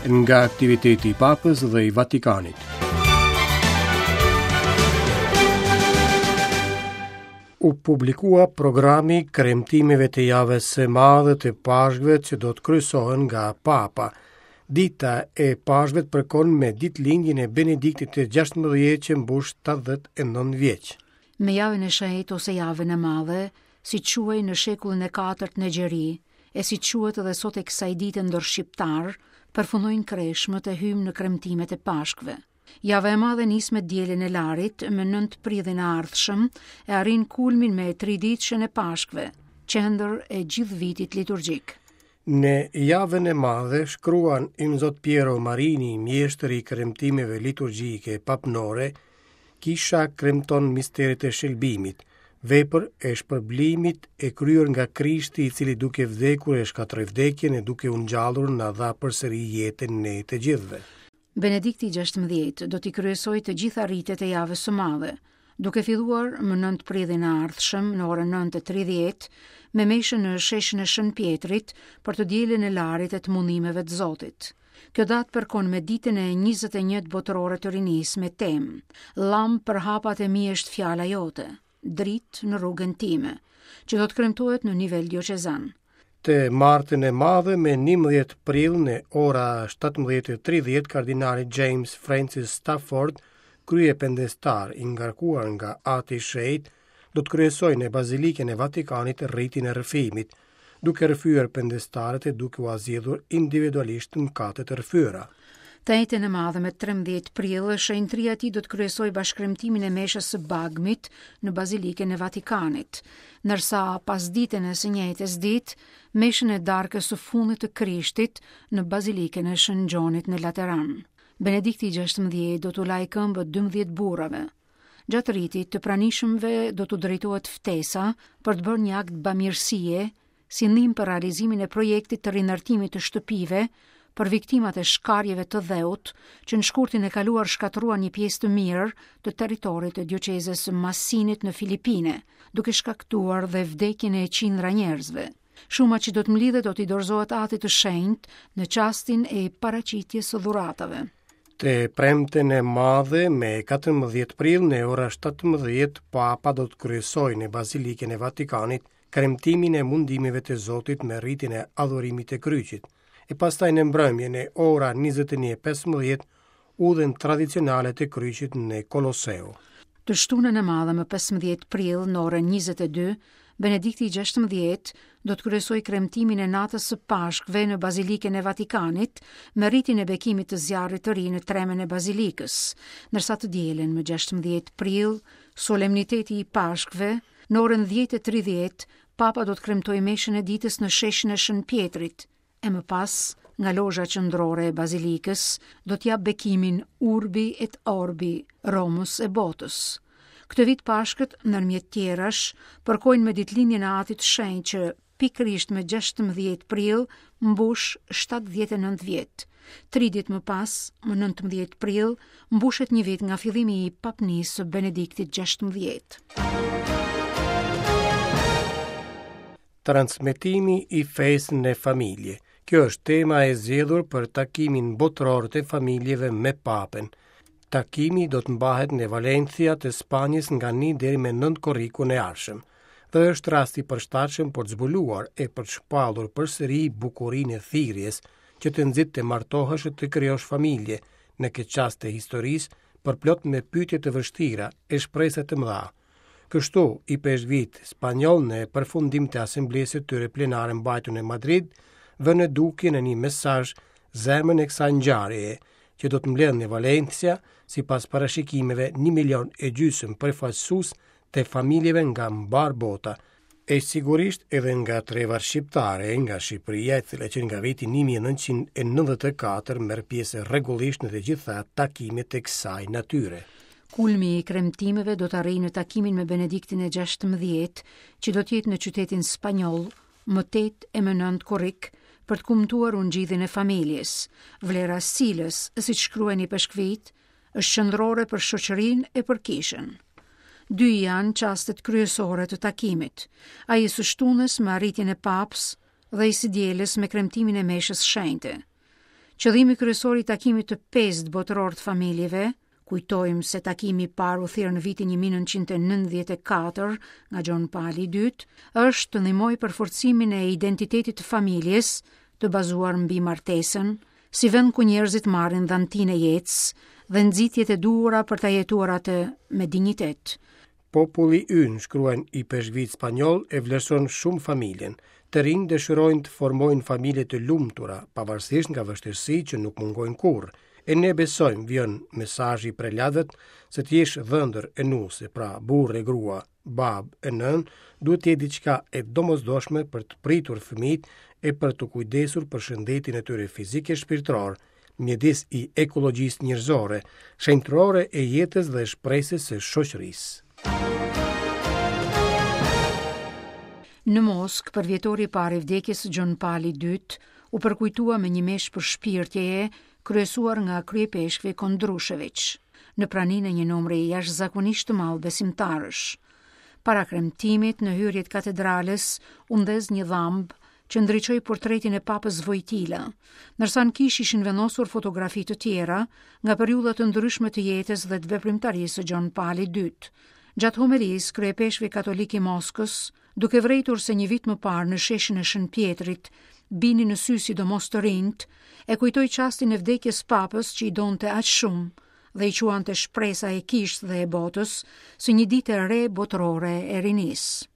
Nga aktiviteti i Papës dhe i Vatikanit. U publikua programi i kremtimeve të javës së madhe të Pashkëve që do të kryesohen nga Papa. Dita e Pashkëve përkon me ditëlindjen e Benediktit të 16 që mbush 79 vjeç. Me javën e shenjtë ose javën e madhe, siç quhej në shekullin e katërt në Egjeri, e siç quhet edhe sot e kësaj dite ndër shqiptarë, përfundojnë kreshmët e hyjmë në kremtimet e Pashkëve. Java e madhe nis me dielën e Larit, me 9 prillin e ardhshëm, e arrin kulmin me triditëshen e Pashkëve, qendër e gjithë vitit liturgjik. Në javën e madhe shkruan Imzot Piero Marini, mjeshtër i kremtimeve liturgjike papnore, Kisha kremton misteret e shëlbimit, vepër e shpërblimit e kryer nga Krishti i cili duke vdekur e shkatërroi vdekjen e duke u ngjallur na dha përsëri jetën ne të gjithëve. Benedikti 16 do t'i kryesojë të gjitha ritet e javës së madhe, duke filluar më 9 prillin e ardhshëm në orën 9:30 me meshën në sheshin e Shën Pjetrit për të dielën e Larit e të mundimeve të Zotit. Kjo datë përkon me ditën e 21 botërore të rinisë me temë Llambë për hapat e mi është fjala jote, dritë në rrugën time, që do të kremtohet në nivel dioqezan. Të martën e madhe me 11 prill në ora 17:30 kardinali James Francis Stafford, kryependestar i ngarkuar nga Ati i Shenjtë, do të kryesojë në Bazilikën e Vatikanit ritin e rrëfimit, duke rrëfyer pendestarët e duke ua zgjidhur individualisht mëkatet e rrëfyera. Të enjten e madhe me 13 prill, shenjtëria e tij do të kryesojë bashkëkremtimin e meshës së Bagmit në Bazilikën e Vatikanit, ndërsa pasditen e së njëjtës ditë, meshën e darkës së fundit të Krishtit në Bazilikën e Shën Gjonit në Lateran. Benedikti i 16 do t'u lajë këmbët 12 burrave. Gjatë ritit, të pranishëmve do t'u drejtohet ftesa për të bërë një akt bamirësie si ndihmë për realizimin e projektit të rindërtimit të shtëpive për viktimat e shkarjeve të dheut që në shkurtin e kaluar shkatërruan një pjesë të mirë të territorit të dioqezës së Masinit në Filipine, duke shkaktuar dhe vdekjen e qindra njerëzve. Shuma që do të mblidhet do t'i dorëzohet Atit të Shenjtë në çastin e paraqitjes së dhuratave. Të premten e madhe me 14 prill në ora 17, Papa do të kryesojë në Bazilikën e Vatikanit kremtimin e mundimeve të Zotit me ritin e adhurimit të kryqit, e pastaj në mbrëmje në ora 21:15 udhën tradicionale të kryqit në Koloseo. Të shtunën e madhe më 15 prill në orën 22, Benedikti i 16 do të kryesojë kremtimin e natës së Pashkëve në Bazilikën e Vatikanit me ritin e bekimit të zjarrit të ri në tremen e Bazilikës, ndërsa të dielën më 16 prill, solemniteti i Pashkëve, në orën 10:30, Papa do të kremtojë meshën e ditës në sheshin e Shën Pjetrit, e më pas, nga lozha qendrore e Bazilikës, do të japë bekimin Urbi et Orbi, Romës e botës. Këtë vit Pashkët, ndërmjet tjerash, përkojnë me ditëlindjen e Atit të Shenjtë që pikërisht me 16 prill mbush 79 vjet. Tri ditë më pas, më 19 prill, mbushet një vit nga fillimi i papnisë së Benediktit 16. Transmetimi i fesë në familje. Kjo është tema e zgjedhur për takimin botëror të familjeve me Papën. Takimi do të mbahet në Valencia të Spanjës nga 1 deri me 9 korrikun e ardhshëm. Dhe është rast i përshtatshëm për të zbuluar e për të shpallur përsëri bukurinë e thirrjes që të nxit të martohesh e të krijosh familje në këtë çast të historisë përplot me pyetje të vështira e shpresa të mëdha. Kështu, ipeshkvijtë spanjollë në përfundim të asamblesë së tyre plenare mbajtur në Madrid, vënë në dukje në një mesazh zemrën e kësaj ngjarjeje, që do të mbledhë në Valencia, sipas parashikimeve 1 milion e gjysmë përfaqësues të familjeve nga mbarë bota, E sigurisht edhe nga trevat shqiptare, nga Shqipëria, e cila që nga viti 1994 merr pjesë rregullisht në të gjitha takimet e kësaj natyre. Kulmi i kremtimeve do të arrijë në takimin me Benediktin e 16, që do të jetë në qytetin spanjoll më 8 e më 9 korrik për të kumtuar ungjillin e familjes, vlera e së cilës, siç shkruajnë ipeshkvijtë, është qendrore për shoqërinë e për kishën. Dy janë çastet kryesore të takimit, ai i së shtunës me arritjen e papës dhe i së dielës me kremtimin e meshës shenjte. Qëllimi kryesor i takimit të pestë botëror të familjeve, kujtojmë se takimi i parë u thirr në vitin 1994 nga Gjon Pali II, është të ndihmojë për forcimin e identitetit të familjes, të bazuar mbi martesën, si vend ku njerëzit marrin dhantinë e jetës dhe nxitjet e duhura për ta jetuar atë me dinjitet. Populli ynë, shkruajnë ipeshkvijtë spanjollë, e vlerëson shumë familjen. Të rinjtë dëshirojnë të formojnë familje të lumtura, pavarësisht nga vështirësitë që nuk mungojnë kurrë. E ne besojmë, vijon mesazhi i prelatëve, se të jesh dhëndër e nuse, pra burrë e grua, babë e nënë, duhet të jetë diçka e domosdoshme për të pritur fëmijët e për t'u kujdesur për shëndetin e tyre fizik e shpirtëror, mjedis i ekologjisë njerëzore, shenjtërore e jetës dhe shpresës së shoqërisë. Në Moskë, përvjetori i parë i vdekjes së Gjon Palit të Dytë u përkujtua me një meshë përshpirtjeje kryesuar nga kryeipeshkvi Kondrusheviç, në praninë e një numri jashtëzakonisht të madh besimtarësh. Para kremtimit, në hyrje të katedrales, u ndez një dhambë që ndriçoi portretin e Papës Vojtila, ndërsa në kishë ishin vendosur fotografi të tjera nga periudha të ndryshme të jetës dhe të veprimtarisë së Gjon Palit të Dytë. Gjatë homelisë, kryeipeshkvi katolik i Moskës, duke vërejtur se një vit më parë në sheshin e Shën Pjetrit binin në sy sidomos të rinjtë, e kujtoi çastin e vdekjes së Papës që i donte aq shumë dhe i quante shpresa e kishës dhe e botës, si një ditë e re botërore e rinisë.